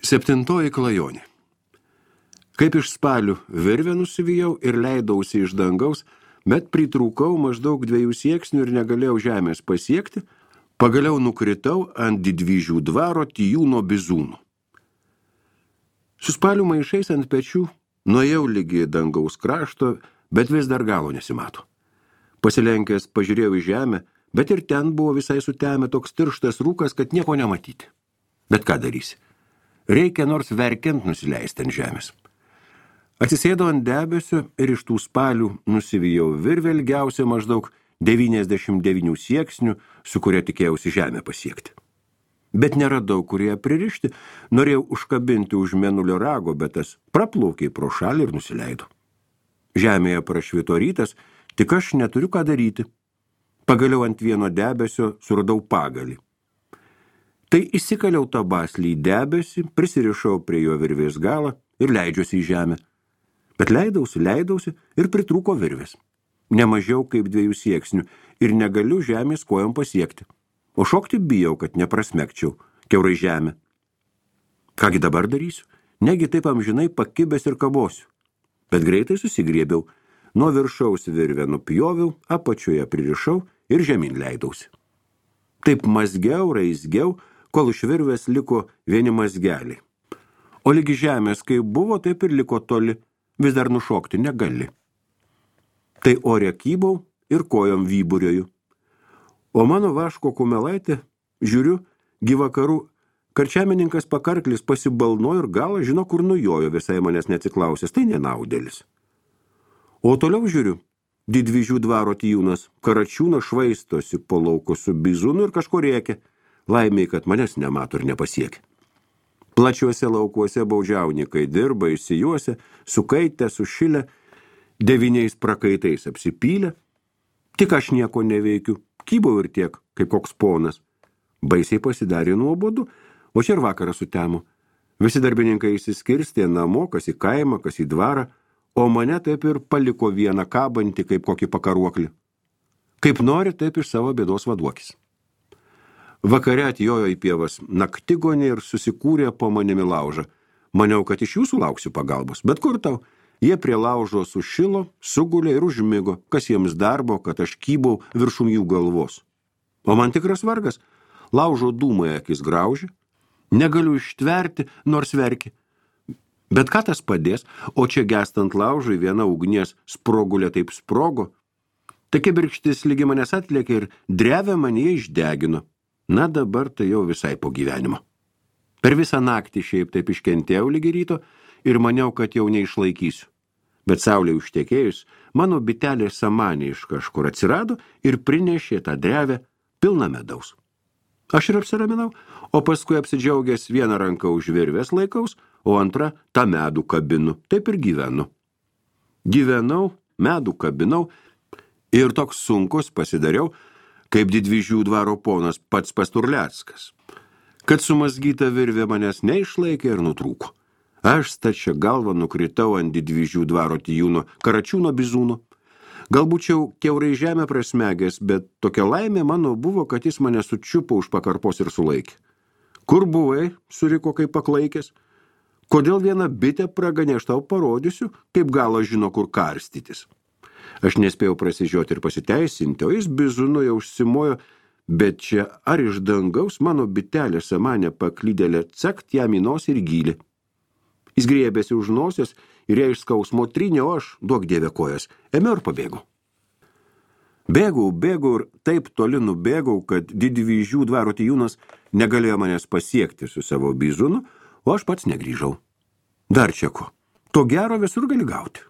Septintoji klajonė. Kaip iš spalių virvę nusivijau ir leidausi iš dangaus, bet pritrūkau maždaug 2 sieksnių ir negalėjau žemės pasiekti, pagaliau nukritau ant Didvyžių dvaro Tijūno bizūnų. Su spalių maišais ant pečių nuėjau lygi dangaus krašto, bet vis dar galo nesimato. Pasilenkęs pažiūrėjau į žemę, bet ir ten buvo visai sutemę toks tirštas rūkas, kad nieko nematyti. Bet ką darysi? Reikia nors verkiant nusileisti ant žemės. Atsisėdau ant debesio ir iš tų spalių nusivijau virvę ilgiausią maždaug 99 sieksnių, su kuria tikėjausi žemę pasiekti. Bet neradau, kur ją pririšti, norėjau užkabinti už mėnulio rago, bet tas praplaukė pro šalį ir nusileido. Žemėje prašvito rytas, tik aš neturiu ką daryti. Pagaliau ant vieno debesio suradau pagalį. Tai įsikaliau tą baslį į debesį, prisirišau prie jo virvės galą ir leidžiuosi į žemę. Bet leidausi ir pritrūko virvės. Nemažiau kaip 2 sieksnių ir negaliu žemės kojom pasiekti. O šokti bijau, kad neprasmegčiau kiaurai žemę. Kągi dabar darysiu? Negi taip amžinai pakibęs ir kabosiu. Bet greitai susigriebiau. Nuo viršaus virvę nupjoviau, apačioje pririšau ir žemyn leidausi. Taip mazgiau, raizgiau, kol iš virvės liko vieni mazgeliai. O lygi žemės, kai buvo, taip ir liko toli, vis dar nušokti negali. Tai ore kybau ir kojom vyburioju. O mano vaško kumelaitė, žiūriu, gyvakarų karčiamininkas pakarklis pasibalnojo ir galą žino, kur nujojo, visai manęs neatsiklausęs, tai nenaudėlis. O toliau žiūriu, Didvyžių dvaro Tijūnas Karačiūnas švaistosi po lauko su bizūnu ir kažko rėkia, laimiai, kad manęs nemato ir nepasiekia. Plačiuose laukuose baudžiaunikai dirba, išsijuose, sukaitę, sušilę, 9 prakaitais apsipylę. Tik aš nieko neveikiu, kybau ir tiek, kaip koks ponas. Baisiai pasidarė nuobodu, o čia ir vakarą sutemo. Visi darbininkai išsiskirstė namo, kas į kaimą, kas į dvarą, o mane taip ir paliko vieną kabantį kaip kokį pakaruoklį. Kaip nori, taip iš savo bėdos vaduokis. Vakare atjojo į pievas naktigonė ir susikūrė po manimi laužą. Maniau, kad iš jūsų lauksiu pagalbos, bet kur tau? Jie prie laužo sušilo, sugulė ir užmigo, kas jiems darbo, kad aš kybau viršum jų galvos. O man tikras vargas, laužo dūmai akis graužė, negaliu ištverti, nors verki. Bet ką tas padės, o čia gestant laužui viena ugnies sprogulė taip sprogo. Tai kibirkštis lygi manęs atlėkė ir drevę manyje išdegino. Na dabar tai jau visai po gyvenimo. Per visą naktį šiaip taip iškentėjau lygi ryto ir maniau, kad jau neišlaikysiu. Bet saulė užtekėjus, mano bitelė samanė iš kažkur atsirado ir prinešė tą drevę pilną medaus. Aš ir apsiraminau, o paskui apsidžiaugęs vieną ranką už virvės laikaus, o antrą tą medų kabinu, taip ir gyvenu. Gyvenau, medų kabinau ir toks sunkus pasidariau, kaip Didvyžių dvaro ponas pats Pasturleckas, kad sumazgyta virvė manęs neišlaikė ir nutrūko. Aš stačia galva nukritau ant Didvyžių dvaro Tijūno Karačiūno bizūno. Galbūt jau kiaurai žemę prasmegęs, bet tokia laimė mano buvo, kad jis mane sučiupo už pakarpos ir sulaikė. Kur buvai, suriko kaip paklaikęs? Kodėl vieną bitę praganė, aš tau parodysiu, kaip galo žino, kur karstytis. Aš nespėjau prasižioti ir pasiteisinti, o jis bizūnu jau užsimojo, bet čia ar iš dangaus mano bitelė samanė paklydėlė cakt jam į nosį ir gylį. Jis griebėsi už nosies ir ją iš skausmo trynė, o aš, duok dieve kojas, ėmiau ir pabėgau. Bėgau ir taip toli nubėgau, kad Didvyžių dvaro Tijūnas negalėjo manęs pasiekti su savo bizūnu, o aš pats negrįžau. Dar čia ko? To gero visur gali gauti.